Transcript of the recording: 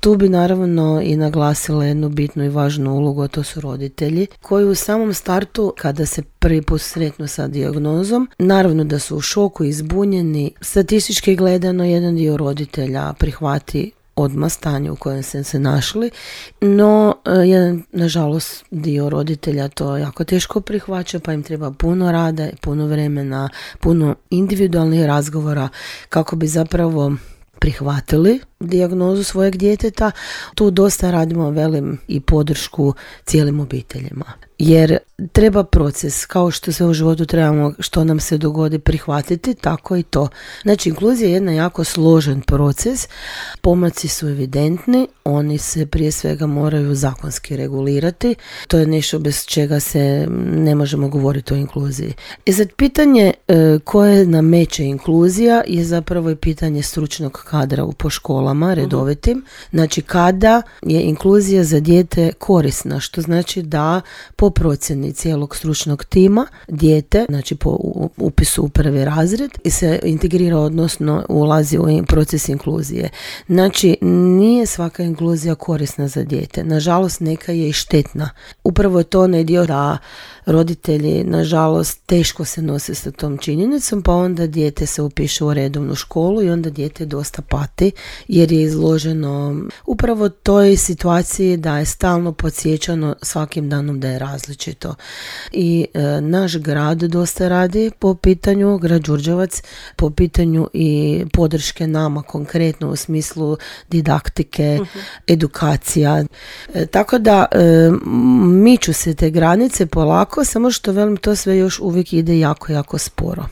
Tu bi naravno i naglasila jednu bitnu i važnu ulogu, a to su roditelji, koji u samom startu, kada se prvi put sretnu sa dijagnozom, naravno da su u šoku i zbunjeni. Statistički gledano, jedan dio roditelja prihvati odmah stanje u kojem se našli, no jedan, nažalost, dio roditelja to jako teško prihvaća, pa im treba puno rada, puno vremena, puno individualnih razgovora kako bi zapravo prihvatili dijagnozu svojeg djeteta. Tu dosta radimo, velim, i podršku cijelim obiteljima. Jer treba proces, kao što sve u životu trebamo, što nam se dogodi, prihvatiti, tako i to. Znači, inkluzija je jedan jako složen proces, pomaci su evidentni, oni se prije svega moraju zakonski regulirati, to je nešto bez čega se ne možemo govoriti o inkluziji. I sad pitanje koje nameće inkluzija je zapravo i pitanje stručnog kadra po školama, redovitim. Znači, kada je inkluzija za dijete korisna, što znači da po procjeni cijelog stručnog tima dijete, znači po upisu u prvi razred, i se integrira, odnosno ulazi u proces inkluzije. Znači, nije svaka inkluzija korisna za dijete. Nažalost, neka je i štetna. Upravo je to onaj dio da roditelji, nažalost, teško se nose sa tom činjenicom, pa onda dijete se upiše u redovnu školu i onda dijete dosta pati jer je izloženo upravo toj situaciji da je stalno podsjećano svakim danom da je različito. I naš grad dosta radi po pitanju, grad Đurđevac, po pitanju i podrške nama konkretno u smislu didaktike, edukacija. Tako da miču se te granice polako, samo što velim, to sve još uvijek ide jako, jako sporo.